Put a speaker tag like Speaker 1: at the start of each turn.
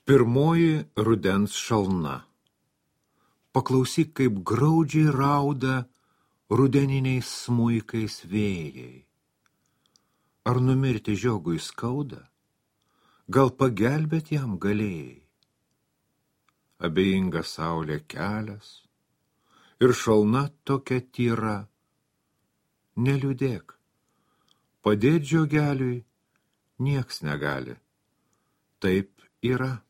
Speaker 1: Pirmoji rudens šalna. Paklausyk, kaip graudžiai rauda rudeniniais smuikais vėjai. Ar numirti žiogui skauda? Gal pagelbėt jam galėjai? Abejinga saulė kelias ir šalna tokia tyra. Neliūdėk, padėt žiogeliui nieks negali. Taip yra.